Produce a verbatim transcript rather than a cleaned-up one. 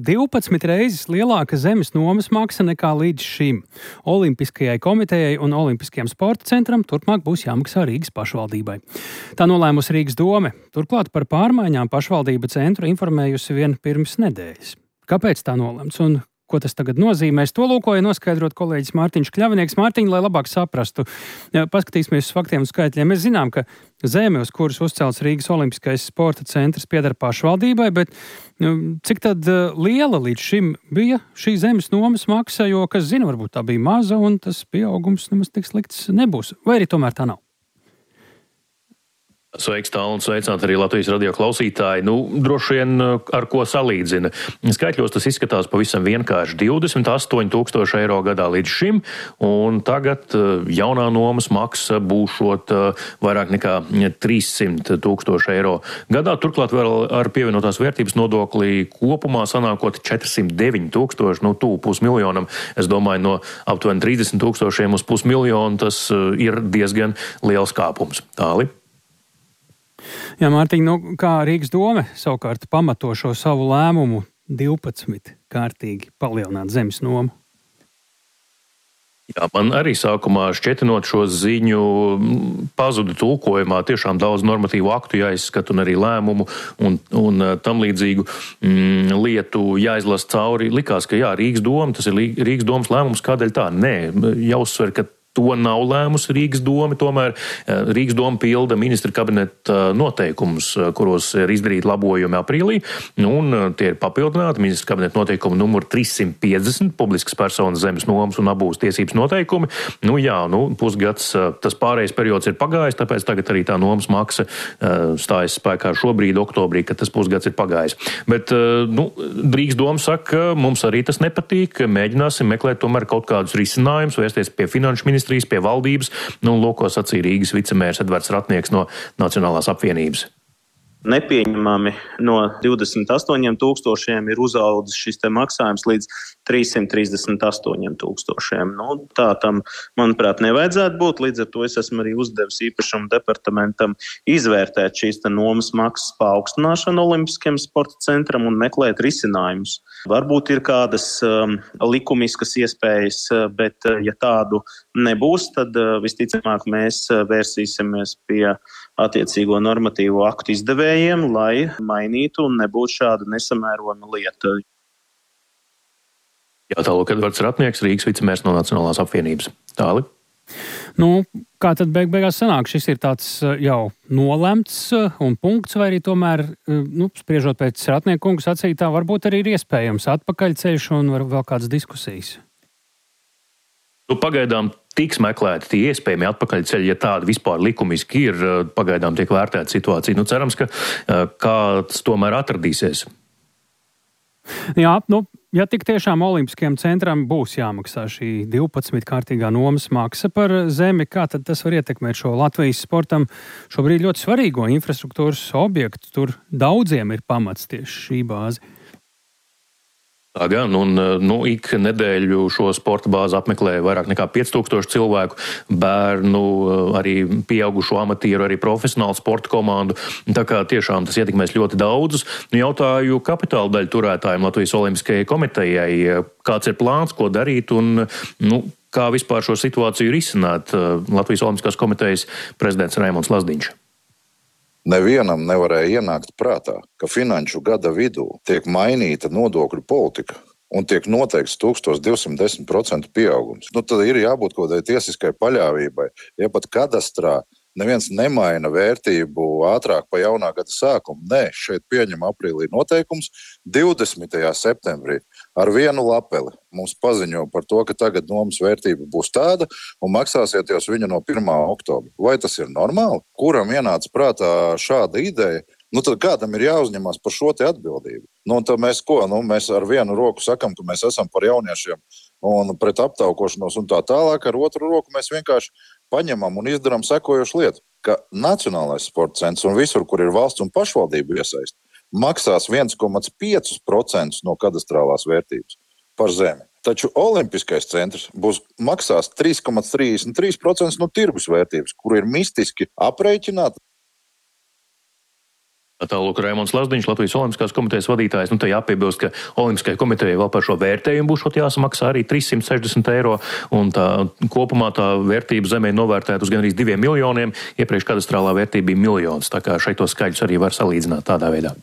divpadsmit reizes lielāka zemes nomas maksa nekā līdz šim. Olimpiskajai komitejai un Olimpiskajam sporta centram turpmāk būs jāmaksā Rīgas pašvaldībai. Tā nolēmusi Rīgas dome. Turklāt par pārmaiņām pašvaldība centru informējusi vien pirms nedēļas. Kāpēc tā nolēmts un ko tas tagad nozīmēs? To lūkoja noskaidrot kolēģis Mārtiņš Kļavinieks. Mārtiņ, lai labāk saprastu, paskatīsimies uz faktiem un skaitļiem. Mēs zinām, ka zeme, uz kuras uzcelts Rīgas Olimpiskais sporta centrs, pieder pašvaldībai, bet cik tad liela līdz šim bija šī zemes nomas maksa, jo, kas zina, varbūt tā bija maza un tas pieaugums nemaz tik slikts nebūs. Vai arī tomēr tā nav? Sveiks, tālu un sveicināti arī Latvijas radio klausītāji. Nu, droši vien ar ko salīdzina. Skaitļos tas izskatās pavisam vienkārši divdesmit astoņi tūkstoši eiro gadā līdz šim, un tagad jaunā nomas maksa būšot vairāk nekā trīssimt tūkstoši eiro gadā. Turklāt vēl ar pievienotās vērtības nodokli kopumā sanākot četrsimt deviņi tūkstoši, nu tūp pusmiljonam. Es domāju, no aptuveni trīsdesmit tūkstošiem uz pusmiljonu tas ir diezgan liels kāpums. Tāli? Jā, Mārtiņ, nu, kā Rīgas dome savukārt pamato šo savu lēmumu divpadsmit kārtīgi palielināt zemes nomu? Jā, man arī sākumā šķetinot šo ziņu pazudu tulkojumā tiešām daudz normatīvu aktu jāizskata un arī lēmumu un, un tam līdzīgu mm, lietu jāizlas cauri. Likās, ka jā, Rīgas doma, tas ir Rīgas domas lēmums, kādēļ tā? Nē, jāuzsver, ka to nav lēmusi Rīgas doma, tomēr Rīgas doma pilda ministra kabineta noteikumus, kuros ir izdarīti labojumi aprīlī, un tie ir papildināti ministra kabineta noteikumu numuru trīssimt piecdesmit, publiskas personas zemes nomas un abūs tiesības noteikumi. Nu jā, nu pusgads, tas pārējais periods ir pagājis, tāpēc tagad arī tā nomas maksa stājas spēkā šobrīd, oktobrī, kad tas pusgads ir pagājis. Bet, nu, Rīgas doma saka, mums arī tas nepatīk, mēģināsim meklēt tomēr kaut kādus risinājumus, vērsties pie finanšu ministra pie valdības, nu, lūko sacīja Rīgas vicemērs Edvards Ratnieks no Nacionālās apvienības. Nepieņemami no divdesmit astoņiem tūkstošiem ir uzaudzis šis te maksājums līdz trīssimt trīsdesmit astoņiem tūkstošiem. Nu, tā tam, manuprāt, nevajadzētu būt. Līdz ar to es esmu arī uzdevis īpašumu departamentam izvērtēt šīs te nomas maksas paaugstināšanu Olimpiskajam sporta centram un meklēt risinājumus. Varbūt ir kādas um, likumiskas iespējas, bet ja tādu nebūs, tad uh, visticamāk mēs vērsīsimies pie attiecīgo normatīvo aktu izdevējiem, lai mainītu un nebūtu šāda nesamērojama lieta. Jā, tālūk Edvards Ratnieks, Rīgas vicemērs no Nacionālās apvienības. Tāli? Nu, kā tad beig beigās sanāk? Šis ir tāds jau nolemts un punkts, vai arī tomēr, nu, spriežot pēc Ratnieka kunga sacītā, varbūt arī ir iespējams atpakaļceļš un vēl kādas diskusijas? Nu, pagaidām tiks meklēti tie iespējami atpakaļceļi, ja tādi vispār likumiski ir, pagaidām tiek vērtēta situācija. Nu, cerams, ka kāds tomēr atradīsies. Jā, nu, ja tik tiešām Olimpiskajam centram būs jāmaksā šī divpadsmit kārtīgā nomas maksa par zemi, kā tad tas var ietekmēt šo Latvijas sportam šobrīd ļoti svarīgo infrastruktūras objektu? Tur daudziem ir pamats tieši šī bāze. Tā gan, un nu, ik nedēļu šo sporta bāzi apmeklē vairāk nekā pieci tūkstoši cilvēku, bērnu, arī pieaugušo amatieru, arī profesionālu sporta komandu. Tā kā tiešām tas ietekmēs ļoti daudzus. Nu, jautāju kapitāla daļu turētājiem Latvijas Olimpiskajai komitejai, kāds ir plāns, ko darīt un nu, kā vispār šo situāciju risināt. Latvijas Olimpiskās komitejas prezidents Raimonds Lazdiņš. Nevienam nevarēja ienākt prātā, ka finanšu gada vidū tiek mainīta nodokļu politika un tiek noteikts tūkstoš divsimt desmit procentu pieaugums. Nu, tad ir jābūt kaut kādai tiesiskai paļāvībai. Ja pat kadastrā neviens nemaina vērtību ātrāk pa jaunā gada sākumu, nē, šeit pieņem aprīlī noteikums. divdesmitajā septembrī ar vienu lapeli mums paziņo par to, ka tagad nomas vērtība būs tāda un maksāsiet jūs viņu no pirmā oktobra. Vai tas ir normāli? Kuram ienāca prātā šāda ideja? Nu, tad kādam ir jāuzņemās par šo te atbildību? Nu, un tad mēs ko? Nu, mēs ar vienu roku sakam, ka mēs esam par jauniešiem un pret aptaukošanos un tā tālāk. Ar otru roku mēs vienkārši paņemam un izdarām sekojošu lietu, ka Nacionālais sporta centrs un visur, kur ir valsts un pašvaldību iesaist, maksās viens komats pieci procenti no kadastrālās vērtības par zemi. Taču Olimpiskais centrs būs maksās trīs komats trīsdesmit trīs procenti no tirgus vērtības, kuru ir mistiski aprēķināta. Tālūk, Raimonds Lazdiņš, Latvijas Olimpiskās komitejas vadītājs. Nu, te jāpiebilst, ka Olimpiskajai komitejai vēl par šo vērtējumu būs jāsamaksā arī trīs simt sešdesmit eiro, un tā kopumā tā vērtība zemē novērtēta uz gandrīz diviem miljoniem. Iepriekš kadastrālā vērtība bija miljons, tā kā šeit tos skaļus arī var salīdzināt tādā veidā.